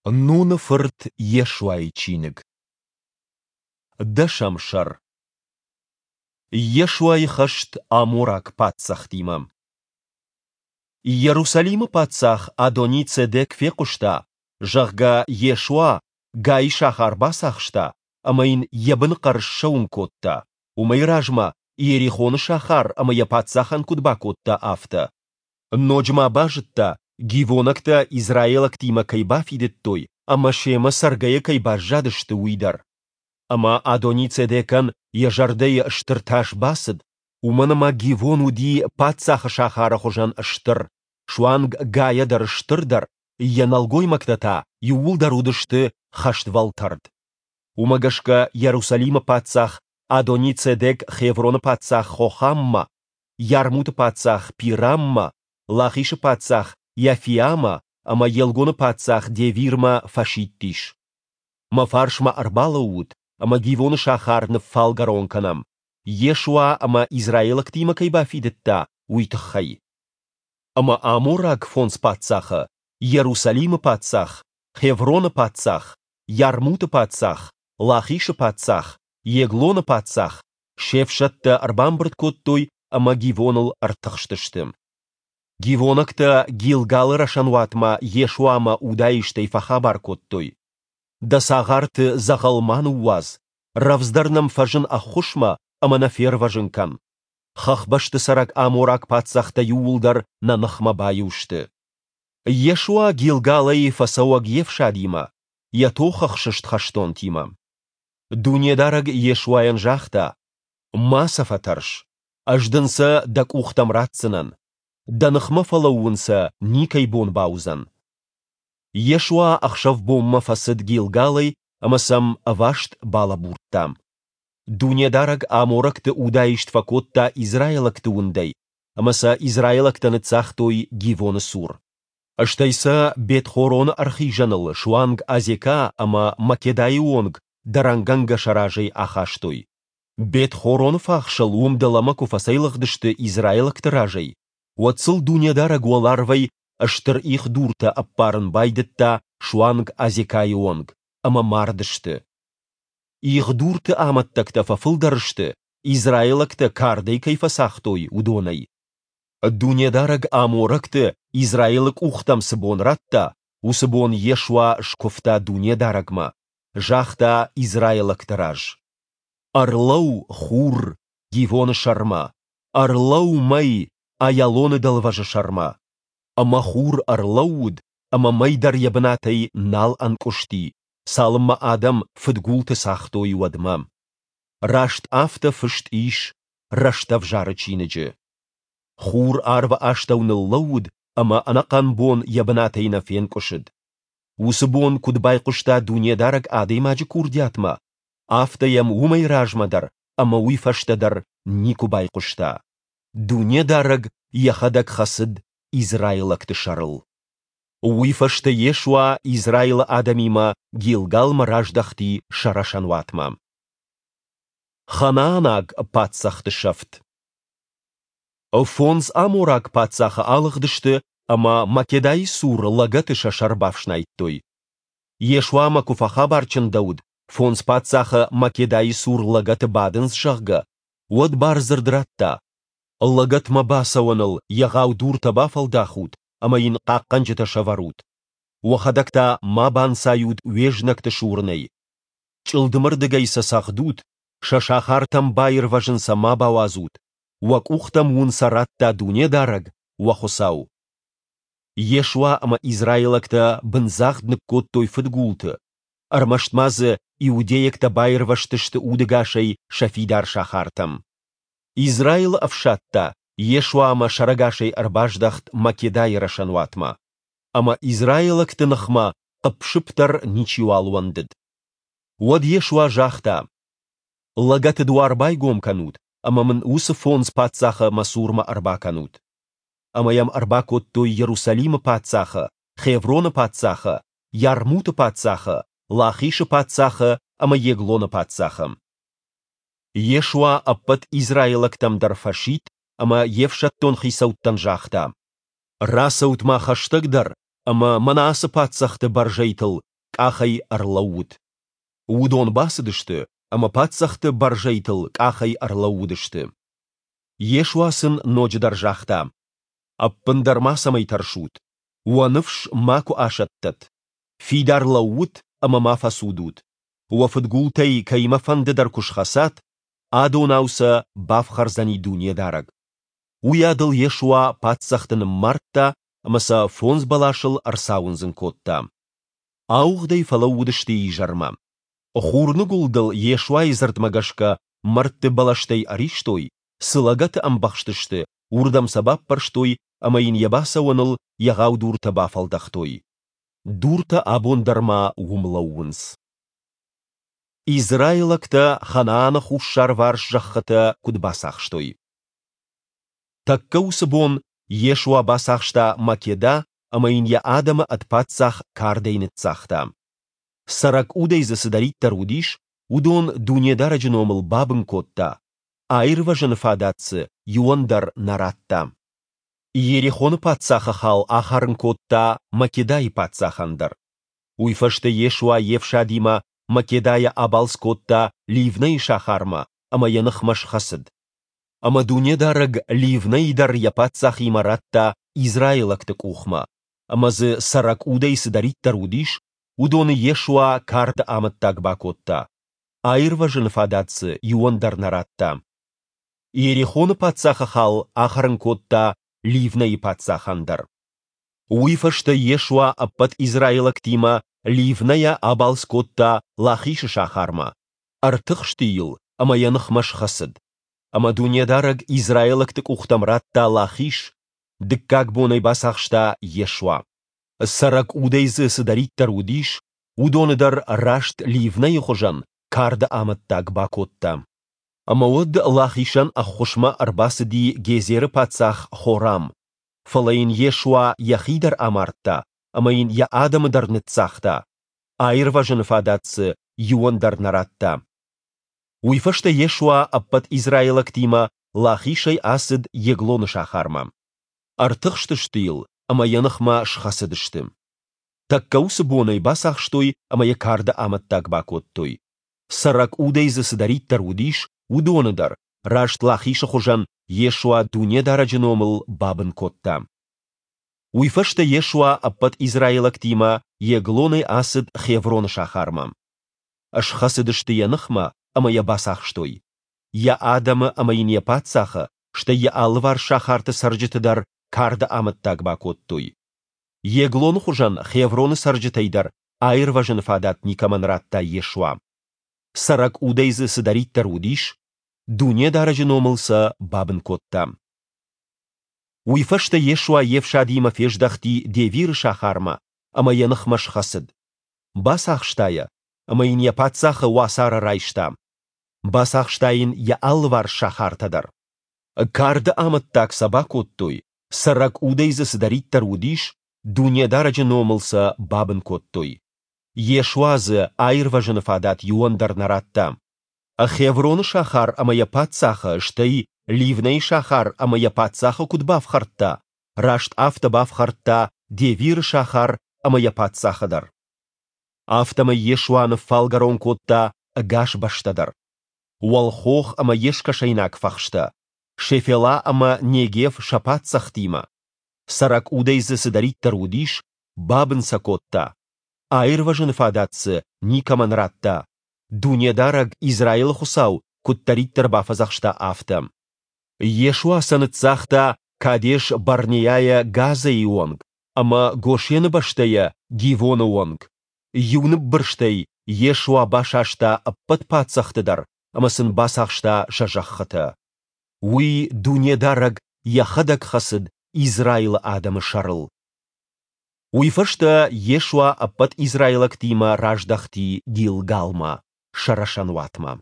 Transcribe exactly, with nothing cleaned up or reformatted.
Нуны фырт Йешуайы чиныг. Дӕсӕм сӕр. Йешуайы хӕст амораг паддзӕхтимӕ. Иерусалимы паддзах Адони-Цедек фехъуыста, зӕгъгӕ, Йешуа Гайы сахар бацахста ӕмӕ йын йӕ быныхъӕр ссӕуын кодта, уымӕй размӕ Иерихоны сахар ӕмӕ йӕ паддзахӕн куыд бакодта, афтӕ. Ноджы ма базыдта, гивонӕгтӕ израилӕгтимӕ кӕй бафидыдтой ӕмӕ семӕ цӕргӕйӕ кӕй баззадысты, уый дӕр. Ӕмӕ Адони-Цедекӕн йӕ зӕрдӕйы стыр тас бацыд, уымӕн ӕмӕ Гивон уыди паддзахы сахары хуызӕн стыр, суанг Гайӕ дӕр стырдӕр, йӕ нӕлгоймӕгтӕ та иууылдӕр уыдысты хӕствӕлтӕрд. Уымӕ гӕсгӕ Иерусалимы паддзах Адони-Цедек Хевроны паддзах Хохаммӕ, Ярмуты паддзах Пираммӕ, Лахишы паддзах Иафиамӕ ӕмӕ Еглоны паддзах Девирмӕ фӕсидтис: Мӕ фарсмӕ ӕрбалӕуут, ӕмӕ Гивоны сахар ныффалгӕрон кӕнӕм, Йешуа ӕмӕ израилӕгтимӕ кӕй бафидыдта, уый тыххӕй. Ӕмӕ амораг фондз паддзахы, Иерусалимы паддзах, Хевроны паддзах, Ярмуты паддзах, Лахишы паддзах, Еглоны паддзах, се фсӕдтӕ ӕрбамбырд кодтой ӕмӕ Гивоныл ӕртыхстысты. Гивонӕгтӕ Гилгалы рӕсӕнуатмӕ Йешуамӕ удаистӕй фӕхабар кодтой: Дӕ цагъарты дзӕгъӕл ма ныууадз, рӕвдздӕр нӕм фӕзын ӕххуысмӕ ӕмӕ нӕ фервӕзын кӕн. Хӕхбӕсты цӕрӕг амораг паддзӕхтӕ иууылдӕр нӕ ныхмӕ баиу сты. Йешуа Гилгалӕй фӕцӕуӕг йе фсадимӕ, йӕ тохӕхсыст хӕстонтимӕ. Дунедарӕг Йешуайӕн загъта: Ма сӕ фӕтӕрс, Ӕз дын сӕ дӕ къухтӕм ратдзынӕн. Дӕ ныхмӕ фӕлӕууын сӕ никӕй бон бауыдзӕн. Йешуа ӕхсӕв-бонмӕ фӕцыд Гилгалӕй ӕмӕ сӕм ӕваст балӕбурдта. Дунедарӕг аморӕгты удаист фӕкодта израилӕгты уындӕй, ӕмӕ сӕ израилӕгтӕ ныццагътой Гивоны цур. Стӕй сӕ Бет-Хороны ӕрхизӕныл суанг Азекӕ ӕмӕ Македайы онг дӕрӕнгӕнгӕ сӕ разӕй ахастой. Бет-Хороны фахсыл уым дӕлӕмӕ куы фӕцӕйлыгъдысты израилӕгты разӕй, уӕд сыл Дунедарӕг уӕларвӕй стыр их дуртӕ ӕппарын байдыдта суанг Азекӕйы онг, ӕмӕ мардысты. Их дурты амӕттӕгтӕ фӕфылдӕр сты, израилӕгтӕ кардӕй кӕй фӕцагътой, уыдонӕй. Дунедарӕг аморӕгты Израилы къухтӕм цы бон радта, уыцы бон Йешуа скуывта Дунедарӕгмӕ, загъта израилӕгты раз: Ӕрлӕуу, хур, Гивоны сӕрмӕ, ӕрлӕуу, мӕй, Аялоны дӕлвӕзы сӕрмӕ. Ӕмӕ хур ӕрлӕууыд, ӕмӕ мӕй дӕр йӕ бынатӕй нал ӕнкъуысти, цалынмӕ адӕм фыдгулты цагътой, уӕдмӕ. Раст афтӕ фыст ис Рӕстӕвзары чиныджы. Хур арвы астӕу ныллӕууыд ӕмӕ ӕнӕхъӕн бон йӕ бынатӕй нӕ фенкъуысыд. Уыцы бон куыд байхъуыста Дунедарӕг адӕймаджы курдиатмӕ, афтӕ йӕм уымӕй размӕ дӕр ӕмӕ уый фӕстӕ дӕр никуы байхъуыста. Дунедарӕг йӕхӕдӕг хӕцыд израилӕгты сӕрыл. Уый фӕстӕ Йешуа Израилы адӕмимӕ Гилгалмӕ раздӕхти сӕ рӕсӕнуатмӕ. Ханаанаг паддзӕхты сӕфт. Фондз амораг паддзахы алыгъдысты ӕмӕ Македайы цур лӕгӕты сӕ сӕр бафснайдтой. Йешуамӕ куы фӕхабар чындӕуыд, фондз паддзахы Македайы цур лӕгӕты бадынц, зӕгъгӕ, уӕд бардзырд радта: Лӕгӕтмӕ бацӕуӕныл егъау дуртӕ бафӕлдахут ӕмӕ йын хъахъхъӕнджытӕ сӕвӕрут. Уӕхӕдӕг та ма банцайут уе знӕгты сурынӕй. Чъылдымырдыгӕй сӕ цӕгъдут, сӕ сахартӕм баирвӕзын сӕ ма бауадзут, уӕ къухтӕм уын сӕ радта Дунедарӕг, уӕ Хуыцау. Йешуа ӕмӕ израилӕгтӕ бындзагъд ныккодтой фыдгулты, ӕрмӕст ма дзы иудейӕгтӕ баирвӕзтысты удӕгасӕй сӕ фидар сахартӕм. Израилы ӕфсад та Йешуамӕ сӕрӕгасӕй ӕрбаздӕхт Македайы рӕсӕнуатмӕ. Ӕмӕ израилӕгты ныхмӕ хъыпп-сыпп дӕр ничиуал уӕндыд. Уӕд Йешуа загъта: Лӕгӕты дуар байгом кӕнут ӕмӕ мын уыцы фондз паддзахы мӕ цурмӕ ӕрбакӕнут. Ӕмӕ йӕм ӕрбакодтой Иерусалимы паддзахы, Хевроны паддзахы, Ярмуты паддзахы, Лахишы паддзахы ӕмӕ Еглоны паддзахы. Йешуа ӕппӕт израилӕгтӕм дӕр фӕсидт ӕмӕ йе фсӕддон хицӕуттӕн загъта: Рацӕут-ма хӕстӕгдӕр ӕмӕ мӕнӕ ацы паддзӕхты бӕрзӕйтыл къахӕй ӕрлӕуут. Уыдон бацыдысты ӕмӕ паддзӕхты бӕрзӕйтыл къахӕй ӕрлӕууыдысты. Йешуа сын ноджыдӕр загъта, Ӕппындӕр мацӕмӕй тӕрсут, уӕ ныфс макуы асӕттӕд. Фидар лӕуут ӕмӕ ма фӕцудут. Уӕ фыдгултӕй кӕимӕфӕнды дӕр куы схӕцат, адонау сӕ бафхӕрдзӕни Дунедарӕг. Уыйадыл Йешуа паддзӕхты ныммардта ӕмӕ сӕ фондз бӕласыл ӕрцауындзын кодта. Ауыгъдӕй фӕлӕууыдысты изӕрмӕ. Хурныгуылдыл Йешуайы дзырдмӕ гӕсгӕ мӕрдты бӕлӕстӕй ӕристой, цы лӕгӕты ӕмбӕхстысты, уырдӕм сӕ баппӕрстой ӕмӕ йын йӕ бацӕуӕныл егъау дуртӕ бафӕлдӕхтой. Дуртӕ абон дӕр ма уым лӕууынц. Израилӕгтӕ Ханааны хуссарварс зӕххытӕ куыд бацахстой. Тӕккӕ уыцы бон Йешуа бацахста Македа ӕмӕ йын йӕ адӕмы ӕд паддзах кардӕй ныццагъта. Цӕрӕг удӕй дзы цыдӕриддӕр уыдис, уыдон Дунедарӕджы номыл бабын кодта, аирвӕзыны фадат дзы иуӕн дӕр нӕ радта. Иерихоны паддзахы хал ахӕрын кодта Македайы паддзахӕн дӕр. Уый фӕстӕ Йешуа йе фсадимӕ Македайӕ абалц кодта Ливнӕйы сахармӕ ӕмӕ йӕ ныхмӕ схӕцыд. Ӕмӕ Дунедарӕг Ливнӕйы дӕр йӕ паддзахимӕ радта израилӕгты къухмӕ, ӕмӕ дзы цӕрӕг удӕй цыдӕриддӕр уыдис, уыдоны Йешуа карды амӕттаг бакодта, аирвӕзыны фадат дзы иуӕн дӕр нӕ радта. Иерихоны паддзахы хал ахӕрын кодта Ливнӕйы паддзахӕн дӕр. Уый фӕстӕ Йешуа ӕппӕт израилӕгтимӕ Ливнӕйӕ абалц кодта Лахишы сахармӕ, ӕртыхсти йыл ӕмӕ йӕ ныхмӕ схӕцыд. Ӕмӕ Дунедарӕг израилӕгты къухтӕм радта Лахиш, дыккаг бон ӕй бацахста Йешуа. Цӕрӕг удӕй дзы цыдӕриддӕр уыдис, уыдоны дӕр раст Ливнӕйы хуызӕн карды амӕттаг бакодта. Ӕмӕ уӕд Лахишӕн ӕххуысмӕ ӕрбацыди Гезеры паддзах Хорам. Фӕлӕ йын Йешуа йӕхи дӕр амардта ӕмӕ йын йӕ адӕмы дӕр ныццагъта, аирвӕзыны фадат дзы иуӕн дӕр нӕ радта. Уый фӕстӕ Йешуа ӕппӕт израилӕгтимӕ Лахишӕй ацыд Еглоны сахармӕ. Ӕртыхстысты йыл ӕмӕ йӕ ныхмӕ схӕцыдысты. Тӕккӕ уыцы бон ӕй бацахстой ӕмӕ йӕ карды амӕттаг бакодтой. Цӕрӕг удӕй дзы цыдӕриддӕр уыдис, уыдоны дӕр, раст Лахишы хуызӕн, Йешуа Дунедарӕджы номыл бабын кодта. Уый фӕстӕ Йешуа ӕппӕт израилӕгтимӕ Еглонӕй ацыд Хевроны сахармӕ. Схӕцыдысты йӕ ныхмӕ ӕмӕ йӕ бацахстой. Йӕ адӕмы ӕмӕ йын йӕ паддзахы, стӕй йӕ алыварс сахарты цӕрджыты дӕр карды амӕттаг бакодтой. Еглоны хуызӕн Хевроны цӕрджытӕй дӕр аирвӕзыны фадат никӕмӕн радта Йешуа. Цӕрӕг удӕй дзы цыдӕриддӕр уыдис, Дунедарӕджы номыл сӕ бабын кодта. Уый фӕстӕ Йешуа йе фсадимӕ фездӕхти Девиры сахармӕ ӕмӕ йӕ ныхмӕ схӕцыд. Бацахста йӕ ӕмӕ йын йӕ паддзахы уацары райста. Бацахста йын йӕ алыварс сахартӕ дӕр. Карды амӕттаг сӕ бакодтой, цӕрӕг удӕй дзы цыдӕриддӕр уыдис, Дунедарӕджы номыл сӕ бабын кодтой. Йешуа дзы аирвӕзыны фадат иуӕн дӕр нӕ радта. Хевроны сахар ӕмӕ йӕ паддзахы, стӕй Ливнӕйы сахар ӕмӕ йӕ паддзахы куыд бафхӕрдта, раст афтӕ бафхӕрдта Девиры сахар ӕмӕ йӕ паддзахы дӕр. Афтӕмӕй Йешуа ныффалгӕрон кодта ӕгас бӕстӕ дӕр. Уӕлхох ӕмӕ йе скӕсӕйнаг фӕхстӕ, Шефела ӕмӕ Негев сӕ паддзӕхтимӕ. Цӕрӕг удӕй дзы цыдӕриддӕр уыдис, бабын сӕ кодта. Аирвӕзыны фадат дзы никӕмӕн радта, Дунедарӕг, Израилы Хуыцау, куыддӕриддӕр бафӕдзӕхста, афтӕ. Йешуа сӕ ныццагъта Кадеш-Барнеайӕ Газӕйы онг ӕмӕ Гошены бӕстӕйӕ Гивоны онг. Иу ныббырстӕй Йешуа басаста ӕппӕт паддзӕхты дӕр ӕмӕ сын бацахста сӕ зӕххытӕ. Уый Дунедарӕг Йӕхӕдӕг хӕцыд Израилы адӕмы сӕрыл. Уый фӕстӕ Йешуа ӕппӕт израилӕгтимӕ раздӕхти Гилгалмӕ, сӕ рӕсӕнуатмӕ.